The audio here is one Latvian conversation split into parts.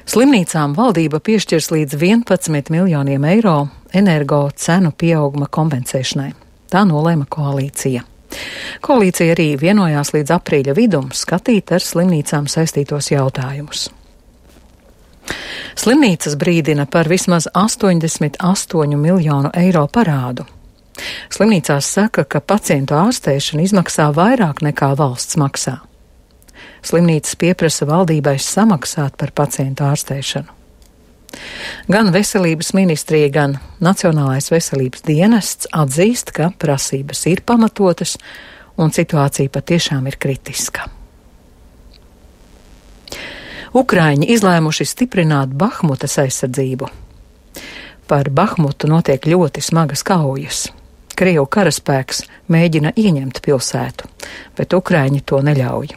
Slimnīcām valdība piešķirs līdz 11 miljoniem eiro energo cenu pieauguma kompensēšanai. Tā nolēma koalīcija. Koalīcija arī vienojās līdz aprīļa vidum skatīt ar slimnīcām saistītos jautājumus. Slimnīcas brīdina par vismaz 88 miljonu eiro parādu. Slimnīcās saka, ka pacientu ārstēšana izmaksā vairāk nekā valsts maksā. Slimnīcas pieprasa valdībai samaksāt par pacientu ārstēšanu. Gan Veselības ministrija, gan Nacionālais veselības dienests atzīst, ka prasības ir pamatotas un situācija patiešām ir kritiska. Ukraiņi izlēmuši stiprināt Bahmutas aizsardzību. Par Bahmutu notiek ļoti smagas kaujas. Krievu karaspēks mēģina ieņemt pilsētu, bet Ukraiņi to neļauj.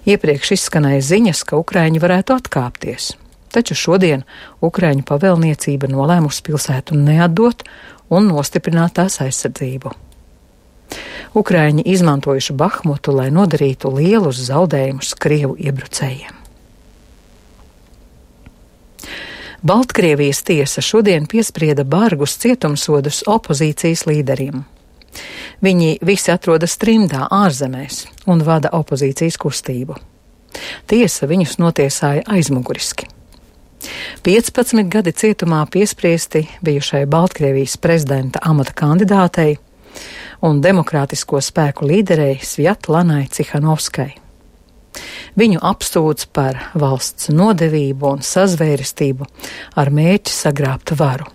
Iepriekš izskanēja ziņas, ka Ukraiņi varētu atkāpties, taču šodien Ukraiņu pavēlniecība nolēmusi pilsētu neatdot un nostiprināt tās aizsardzību. Ukraiņi izmantojuši Bahmutu, lai nodarītu lielus zaudējumus Krievu iebrucējiem. Baltkrievijas tiesa šodien piesprieda bargus cietumsodus opozīcijas līderiem. Viņi visi atrodas trimdā ārzemēs un vada opozīcijas kustību. Tiesa viņus notiesāja aizmuguriski. 15 gadi cietumā piespriesti bijušai Baltkrievijas prezidenta amata kandidātei un demokrātisko spēku līderei Svjatlanai Cihanovskai. Viņu apsūdz par valsts nodevību un sazvērestību ar mērķi sagrābt varu.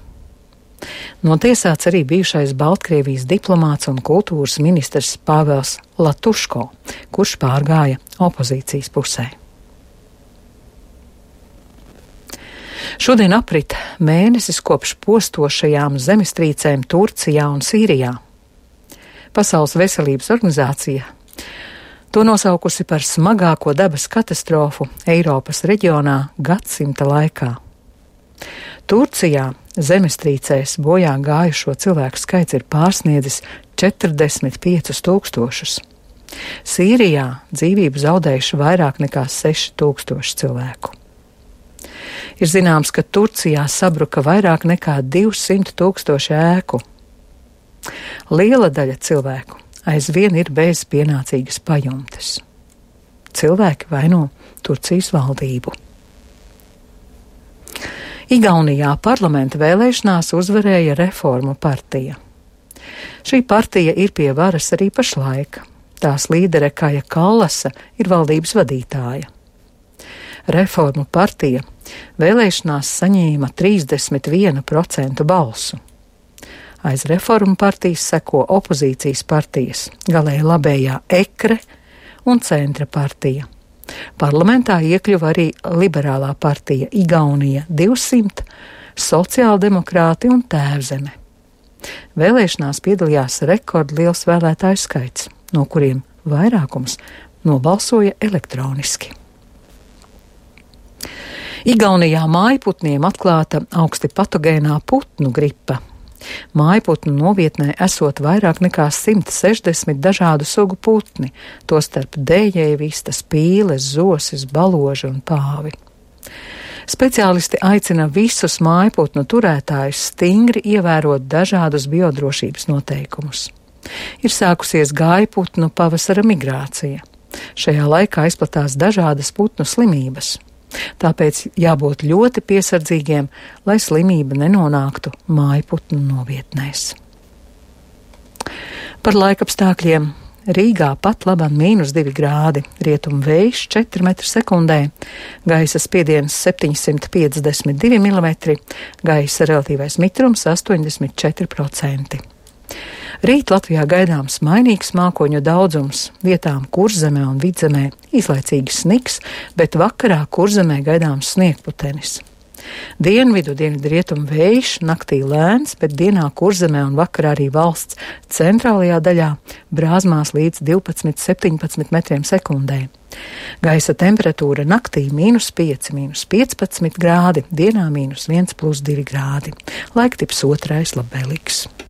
Notiesāts arī bijušais Baltkrievijas diplomāts un kultūras ministrs Pāvels Latuško, kurš pārgāja opozīcijas pusē. Šodien aprit mēnesis kopš postošajām zemestrīcēm Turcijā un Sīrijā. Pasaules veselības organizācija to nosaukusi par smagāko dabas katastrofu Eiropas reģionā gadsimta laikā. Turcijā zemestrīcēs bojā gājušo cilvēku skaits ir pārsniedzis 45 000. Sīrijā dzīvību zaudējuši vairāk nekā 6000 cilvēku. Ir zināms, ka Turcijā sabruka vairāk nekā 200 000 ēku. Liela daļa cilvēku aizvien ir bez pienācīgas pajumtes. Cilvēki vaino Turcijas valdību. Igaunijā parlamenta vēlēšanās uzvarēja Reformu partija. Šī partija ir pie varas arī pašlaik. Tās līdere Kaja Kallasa ir valdības vadītāja. Reformu partija vēlēšanās saņēma 31% balsu. Aiz Reformu partijas seko opozīcijas partijas, galēji labējā EKRE un Centra partija. Parlamentā iekļuva arī liberālā partija Igaunija 200, sociāldemokrāti un Tēvzeme. Vēlēšanās piedalījās rekordliels vēlētāju skaits, no kuriem vairākums nobalsoja elektroniski. Igaunijā mājputniem atklāta augsti patogēnā putnu gripa. Mājputnu novietnē esot vairāk nekā 160 dažādu sugu putni, tostarp dējēji, vistas, pīles, zosis, baloži un pāvi. Speciālisti aicina visus mājputnu turētājus stingri ievērot dažādus biodrošības noteikumus. Ir sākusies gājputnu pavasara migrācija. Šajā laikā izplatās dažādas putnu slimības. Tāpēc jābūt ļoti piesardzīgiem, lai slimība nenonāktu mājputnu novietnēs. Par laikapstākļiem Rīgā pat labam -2 grādi, rietumu vējš 4 m/sekundē, gaisa spiediens 752 mm, gaisa relatīvais mitrums 84%. Rīt Latvijā gaidāms mainīgs mākoņu daudzums, vietām Kurzemē un Vidzemē īslaicīgs sniks, bet vakarā Kurzemē gaidāms sniegputenis. Dienvidu rietumu vējš, naktī lēns, bet dienā Kurzemē un vakarā arī valsts centrālajā daļā brāzmās līdz 12–17 m/sekundē. Gaisa temperatūra naktī -5, -15 grādi, dienā -1+2 grādi. Laiktips otrais labvēlīgs.